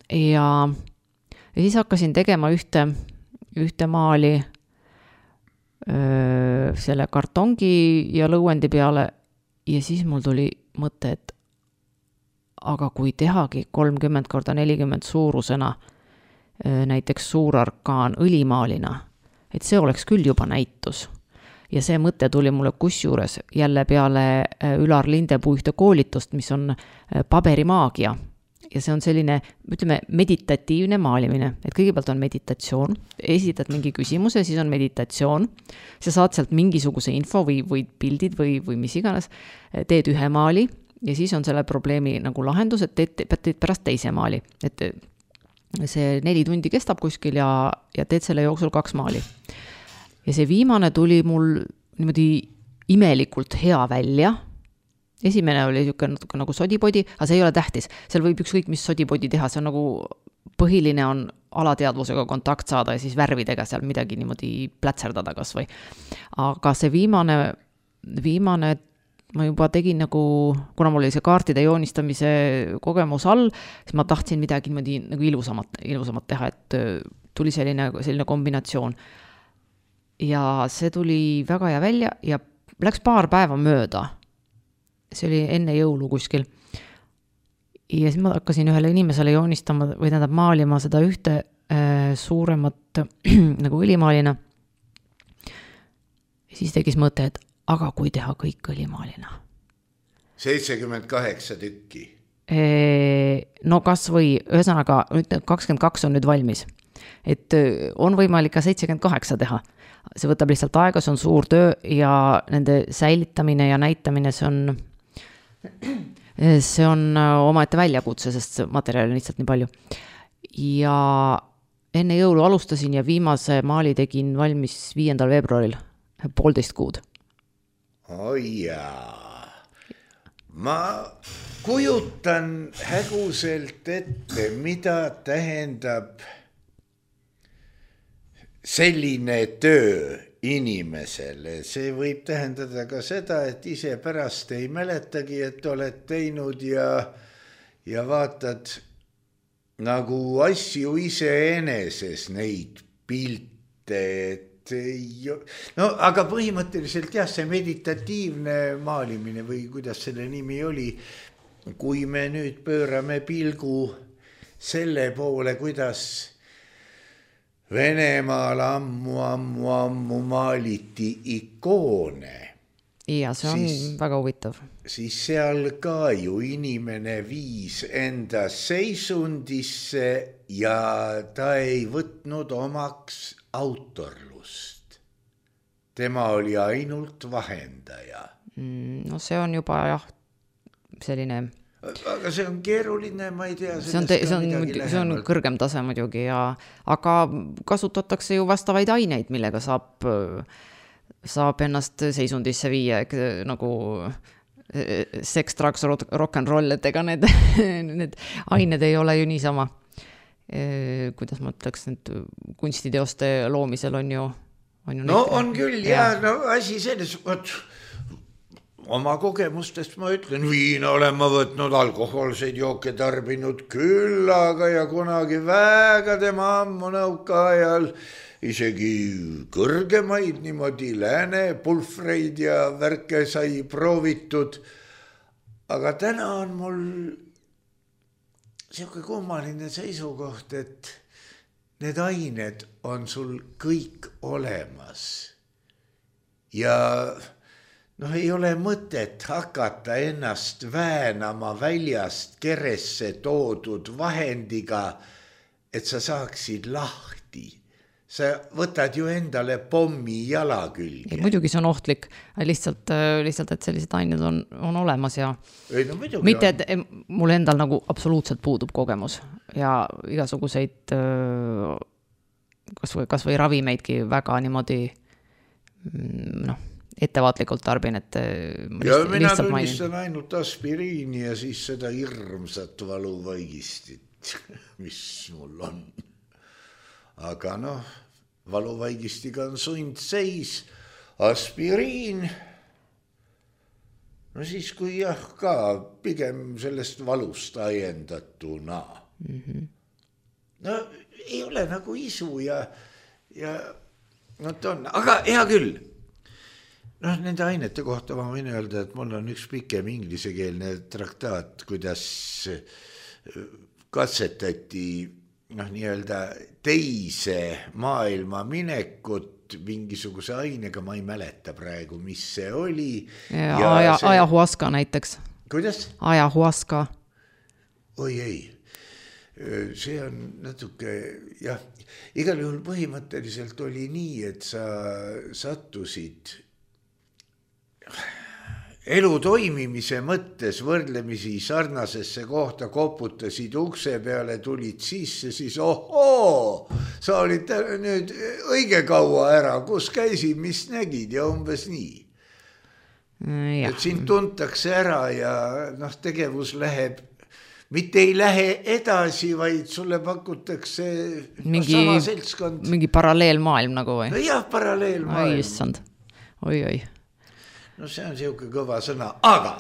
ja siis hakkasin tegema ühte maali selle kartongi ja lõuendi peale ja siis mul tuli mõte, et aga kui tehagi 30x40 suurusena näiteks suurarkaan õlimaalina, et see oleks küll juba näitus. Ja see mõte tuli mulle kusjuures jälle peale Ülar Lindepuu ühte koolitust, mis on paberimaagia. Ja see on selline, ütleme, meditatiivne maalimine. Et kõigepealt on meditatsioon, esitad mingi küsimuse, siis on meditatsioon. Sa saad sealt mingisuguse info või pildid või mis iganes, teed ühe maali ja siis on selle probleemi nagu lahendus, et teed pärast teise maali. Et see 4 tundi kestab kuskil ja teed selle jooksul 2 maali. Ja see viimane tuli mul niimoodi imelikult hea välja. Esimene oli natuke nagu sodipodi, aga see ei ole tähtis. Seal võib ükskõik mis sodipodi teha, see on nagu põhiline on alateadvusega kontakt saada ja siis värvidega seal midagi niimoodi plätserdada kas või. Aga see viimane ma juba tegin nagu, kuna mul oli see kaartide joonistamise kogemus all, siis ma tahtsin midagi niimoodi nagu ilusamat teha, et tuli selline kombinatsioon. Ja see tuli väga hea välja ja läks paar päeva mööda. See oli enne jõulu kuskil. Ja siis ma hakkasin ühele inimesele joonistama või tähendab maalima seda ühte suuremat nagu õlimaalina. Ja siis tegis mõte, et aga kui teha kõik õlimaalina? 78 tükki. No kas või, ühesõnaga 22 on nüüd valmis. Et on võimalik ka 78 teha. See võtab lihtsalt aega, see on suur töö ja nende säilitamine ja näitamine, see on omaette väljakutse, sest materjali on lihtsalt nii palju. Ja enne jõulu alustasin ja viimase maali tegin valmis 5. veebruaril, 1,5 kuud. Jaa. Ma kujutan häguselt ette, mida tähendab selline töö inimesele. See võib tähendada ka seda, et ise pärast ei mäletagi, et oled teinud ja vaatad nagu asju iseeneses neid pilte, no aga põhimõtteliselt jah, see meditatiivne maalimine või kuidas selle nimi oli, kui me nüüd pöörame pilgu selle poole, kuidas Venemaal ammu maaliti ikoone. Ja see on väga huvitav. Siis seal ka ju inimene viis enda seisundisse ja ta ei võtnud omaks autorlust. Tema oli ainult vahendaja. No see on juba jah, selline aga see on keeruline, ma ei tea. See on kõrgem tase muidugi, aga kasutatakse ju vastavaid aineid, millega saab ennast seisundisse viia, nagu sex, drugs, rock and roll, et ega need ained ei ole ju niisama, kuidas ma ütleks, need kunstiteoste loomisel on ju on küll, asi selles, oma kogemustest ma ütlen, viina olen ma võtnud, alkohoolseid jooke tarbinud küll, aga ja kunagi väga tema ammu nõuka ajal isegi kõrgemaid niimoodi lääne pulfreid ja värke sai proovitud. Aga täna on mul selline kummaline seisukoht, et need ained on sul kõik olemas ja ei ole mõtet hakata ennast väänama väljast keresse toodud vahendiga, et sa saaksid lahti. Sa võtad ju endale pommi jala külge. Muidugi see on ohtlik, lihtsalt, et sellised ained on olemas ja mitte, et mul endal nagu absoluutselt puudub kogemus ja igasuguseid kas või ravimeidki väga niimoodi ettevaatlikult tarbin, et mina tunnistan ainult aspiriini ja siis seda hirmsat valuvaigistit, mis mul on. Aga valuvaigistiga on sundseis, aspiriin, siis kui ka pigem sellest valust ajendatuna. Ei ole nagu isu ja aga hea küll. Nende ainete kohta ma võin öelda, et mul on üks pikem inglisekeelne traktaat, kuidas katsetati nii-öelda teise maailma minekut mingisuguse ainega, ma ei mäleta praegu, mis see oli. Ajahuaska näiteks. Kuidas? Ajahuaska. Oi ei, see on natuke, igal juhul põhimõtteliselt oli nii, et sa sattusid elu toimimise mõttes võrdlemisi sarnasesse kohta, koputasid ukse peale, tulid sisse, siis sa olid nüüd õige kaua ära, kus käisid, mis nägid ja umbes nii. Et sind tuntakse ära ja tegevus läheb, mitte ei lähe edasi, vaid sulle pakutakse sama seltskond. Mingi paralleelmaailm nagu või? Jah, paralleelmaailm. Oi, issand. Oi. See on siuke kõva sõna, aga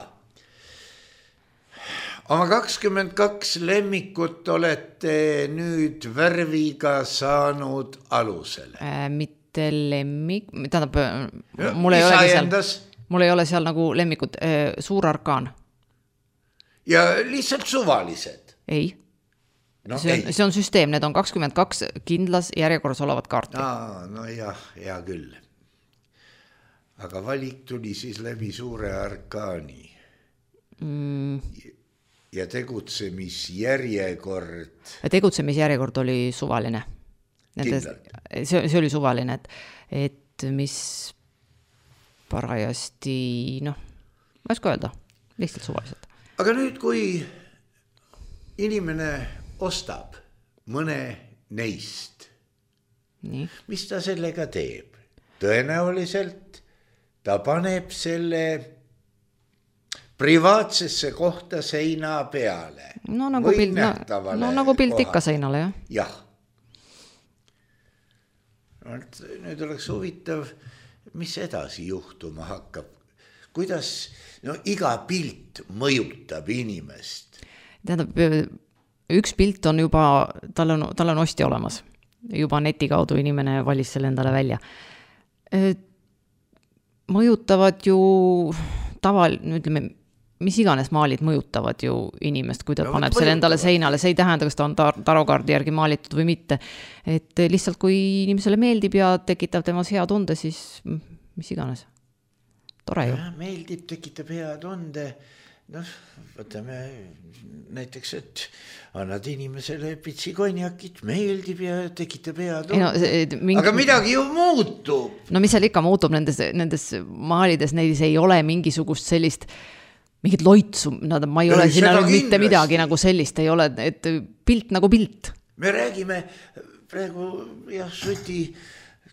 oma 22 lemmikut olete nüüd värviga saanud alusele. Mitte lemmik, tähendab, mul ei ole seal nagu lemmikut, suur arkaan. Ja lihtsalt suvalised? Ei. See on süsteem, need on 22 kindlas järjekorras olevat kaarti. Hea küll. Aga valik tuli siis läbi suure arkaani. Ja tegutsemisjärjekord oli suvaline. See oli suvaline, et mis parajasti, ma ei oska öelda, lihtsalt suvaliselt. Aga nüüd, kui inimene ostab mõne neist, mis ta sellega teeb? Tõenäoliselt ta paneb selle privaatsesse kohta seina peale. Nagu pilt ikka seinale, jah. Nüüd oleks huvitav, mis edasi juhtuma hakkab. Kuidas iga pilt mõjutab inimest? Tähendab, üks pilt on juba, tal on osti olemas. Juba neti kaudu inimene valis selle endale välja. Mõjutavad ju ütleme, mis iganes maalid mõjutavad ju inimest, kui ta paneb selle endale seinale. See ei tähenda, kas ta on tarokaardi järgi maalitud või mitte. Et lihtsalt, kui inimesele meeldib ja tekitab temas hea tunde, siis mis iganes. Tore ju. Meeldib, tekitab hea tunde. Võtame näiteks, et annad inimesele pitsi konjakit, meeldib ja tekitab hea tunde. Aga midagi ju muutub. Mis seal ikka muutub nendes maalides, neis ei ole mingisugust sellist mingit loitsu, ma ei ole sinna mitte midagi nagu sellist ei ole, et pilt nagu pilt. Me räägime praegu Suti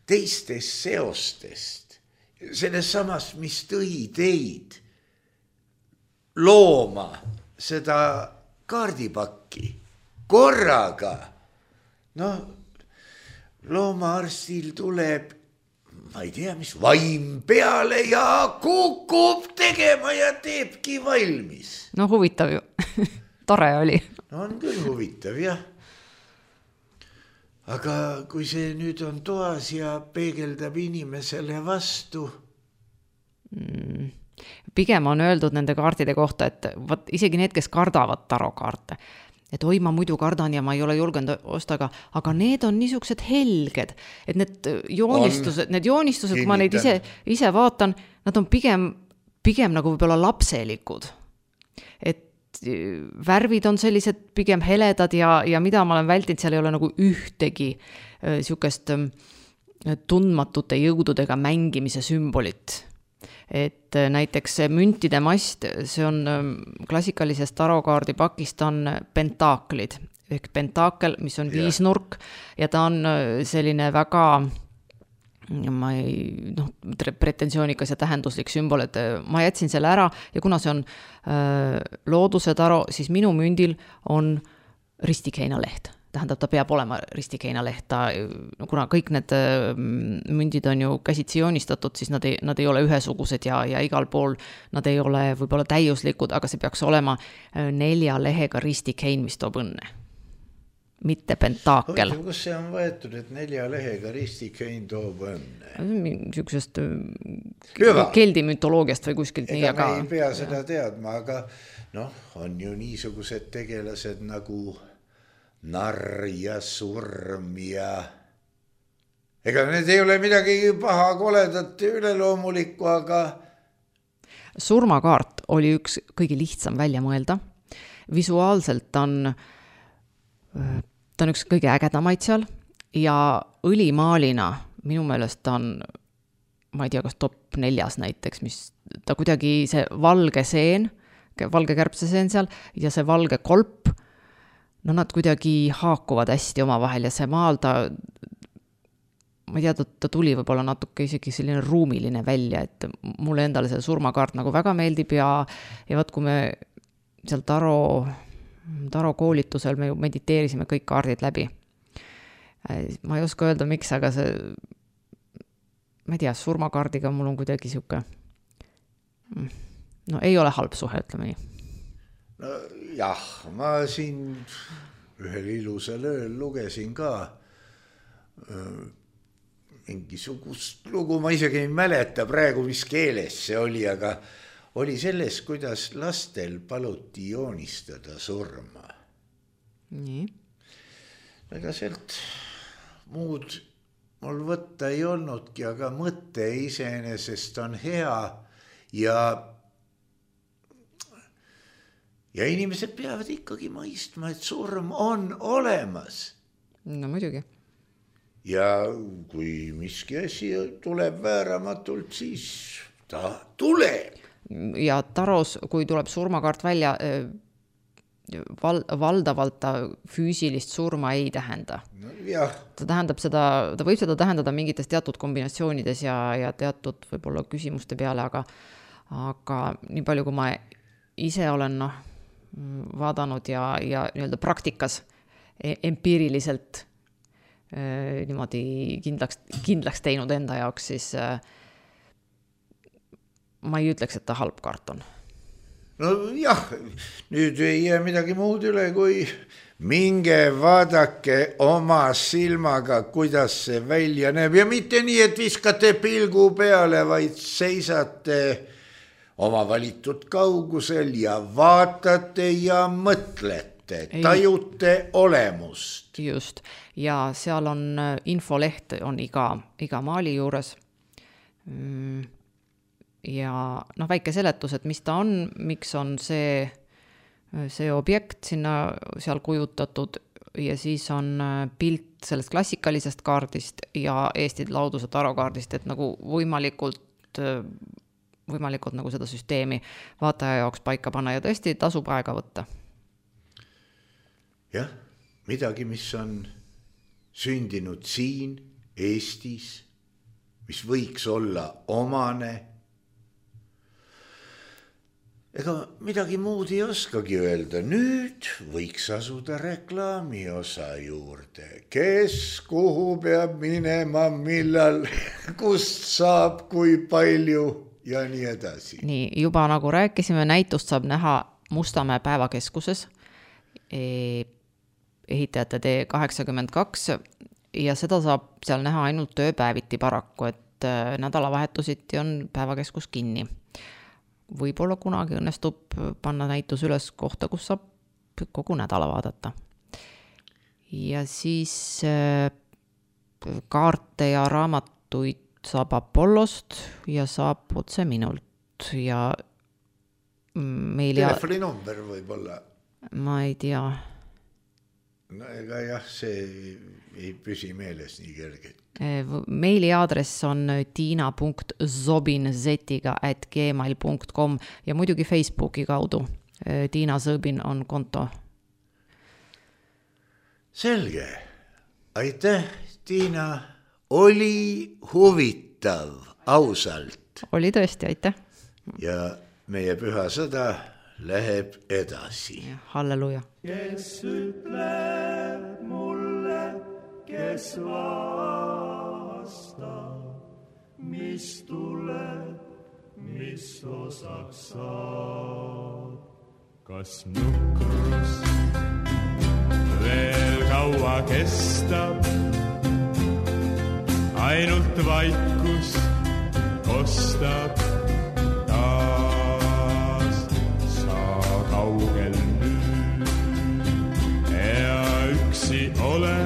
teistest seostest, sellest samast, mis tõi teid looma seda kaardipakki korraga. Loomaarstil tuleb, ma ei tea, mis vaim peale ja kukub tegema ja teebki valmis. No huvitav ju, tore oli. No on küll huvitav, jah. Aga kui see nüüd on toas ja peegeldab inimesele vastu? Pigem on öeldud nende kaardide kohta, et võt, isegi need, kes kardavad tarokaarte, et oi, ma muidu kardan ja ma ei ole julgenud osta, aga need on niisugused helged, et need joonistused, kui ma neid ise vaatan, nad on pigem nagu võib-olla lapselikud. Et värvid on sellised pigem heledad ja mida ma olen vältinud, seal ei ole nagu ühtegi niisugust tundmatute jõududega mängimise sümbolit. Et näiteks müntide mast, see on klassikalisest tarokaardi pakist on pentaaklid, ehk pentaakel, mis on viisnurk ja ta on selline väga pretensioonikas ja tähenduslik sümbol, et ma jätsin selle ära ja kuna see on looduse taro, siis minu mündil on ristikeinaleht. Tähendab, ta peab olema ristikeinaleht, kuna kõik need mündid on ju käsitsi joonistatud, siis nad ei ole ühesugused ja igal pool nad ei ole võib-olla täiuslikud, aga see peaks olema 4 lehega ristikein, mis toob õnne. Mitte pentaakel. Kus see on võetud, et 4 lehega ristikein toob õnne? Niisugusest keldi mütoloogiast või kuskilt nii, aga ei pea seda teadma, aga on ju niisugused tegelased nagu narr ja surm ja ega need ei ole midagi paha koledat üleloomulikku, aga surmakaart oli üks kõige lihtsam välja mõelda. Visuaalselt ta on üks kõige ägedamaid seal ja õlimaalina minu meelest ta on, ma ei tea, kas top 4 näiteks, mis ta kuidagi see valge seen, valge kärbseseen seal ja see valge kolp, nad kuidagi haakuvad hästi omavahel ja see maal ta, ma ei tea, ta tuli võib-olla natuke isegi selline ruumiline välja, et mulle endale see surmakaart nagu väga meeldib ja võt, kui me seal taro koolitusel me ju mediteerisime kõik kaardid läbi. Ma ei oska öelda, miks, aga see, ma ei tea, surmakaardiga mul on kuidagi siuke, ei ole halb suhe, ütleme nii. Jah, ma siin ühel ilusal ööl lugesin ka mingisugust lugu, ma isegi ei mäleta praegu, mis keeles see oli, aga oli selles, kuidas lastel paluti joonistada surma. Nii. Ega sealt muud mul võtta ei olnudki, aga mõte iseenesest on hea ja inimesed peavad ikkagi mõistma, et surm on olemas. No muidugi. Ja kui miski asi tuleb vääramatult, siis ta tuleb. Ja taros, kui tuleb surmakaart välja, valdavalt ta füüsilist surma ei tähenda. Ta tähendab seda, ta võib seda tähendada mingites teatud kombinatsioonides ja teatud võib-olla küsimuste peale, aga nii palju, kui ma ise olen vaadanud ja nii-öelda praktikas empiiriliselt niimoodi kindlaks teinud enda jaoks, siis ma ei ütleks, et ta halb kaart on. No jah, nüüd ei jää midagi muud üle, kui minge vaadake oma silmaga, kuidas see välja näeb ja mitte nii, et viskate pilgu peale, vaid seisate oma valitud kaugusel ja vaatate ja mõtlete, tajute olemust. Just, ja seal on infoleht on iga maali juures ja väike seletus, et mis ta on, miks on see objekt seal kujutatud ja siis on pilt sellest klassikalisest kaardist ja Eesti lauduse tarokaardist, et nagu võimalikult võimalikult nagu seda süsteemi vaataja jaoks paika panna ja tõesti tasub aega võtta. Jah, midagi, mis on sündinud siin Eestis, mis võiks olla omane. Ega midagi muud ei oskagi öelda. Nüüd võiks asuda reklaami osa juurde. Kes kuhu peab minema, millal, kust saab, kui palju ja nii edasi. Nii, juba nagu rääkisime, näitust saab näha Mustamäe päevakeskuses, ehitajate tee 82 ja seda saab seal näha ainult tööpäeviti paraku, et nädalavahetusiti on päevakeskus kinni. Võib-olla kunagi õnnestub panna näitus üles kohta, kus saab kogu nädala vaadata. Ja siis kaarte ja raamatuid saab Apollost ja saab otse minult. Ja meil telefoninumber võib olla. Ma ei tea. No ega jah, see ei püsi meeles nii kergelt. Meili aadress on tina.zobin@gmail.com ja muidugi Facebooki kaudu. Tiina Zõbin on konto. Selge. Aitäh, Tiina. Oli huvitav, ausalt. Oli tõesti, aitäh. Ja meie püha sõda läheb edasi. Halleluja. Kes ütleb mulle, kes vastab, mis tuleb, mis osaks saab. Kas nukrus veel kaua kestab, ainult vaikus kostab taas, sa kaugel nüüd ja üksi ole,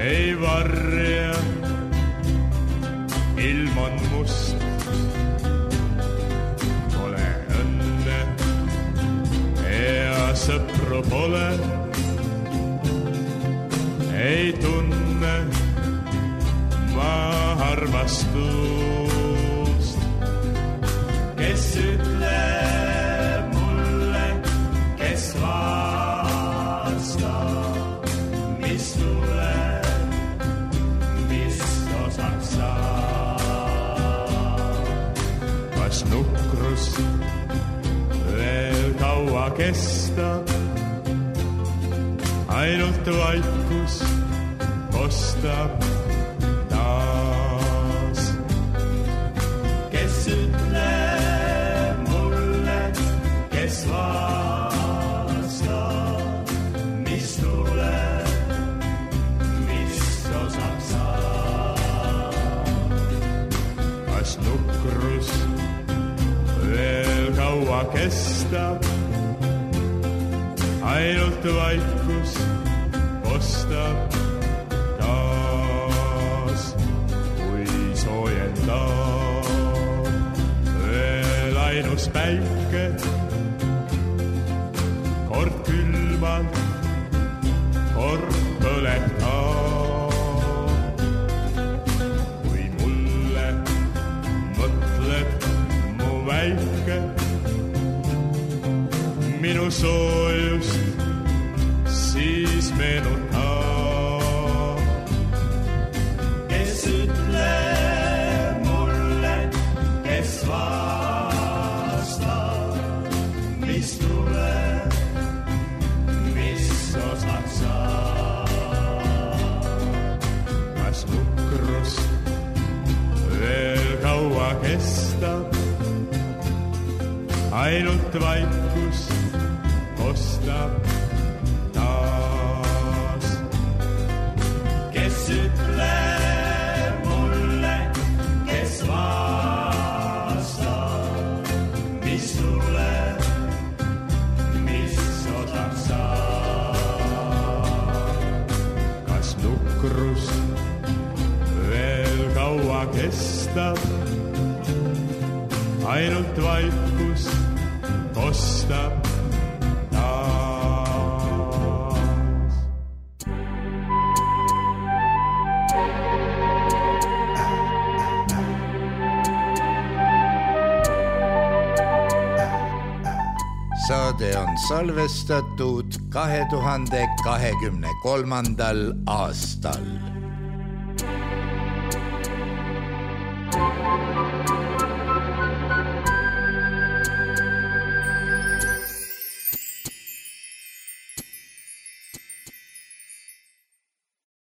ei varja, ilm on must, pole õnne ja sõpru pole, ei tunne ma armastust. Kes ütleb mulle, kes vastab, mis tuleb, mis osaks saab. Kas nukrus veel kaua kestab, ainult vaikus kostab taas. Kes ütleb mulle, kes vastab, mis tuleb, mis osaks saab. Kas nukrus veel kaua kestab, ainult vaikus kostab taas, kui soojendab veel ainus päike, kord külmab, kord põleb ka. Kui mulle mõtled mu väike, minu soojust siis meenutab. Kes ütleb mulle, kes vastab, mis tuleb, mis osaks saab. Kas nukrus veel kaua kestab, ainult vaikus kostab taas. Kes ütleb mulle, kes vastab, mis tuleb, mis osaks saab. Kas nukrus veel kaua kestab, ainult vaikus kostab taas. saade on salvestatud 2023. aastal.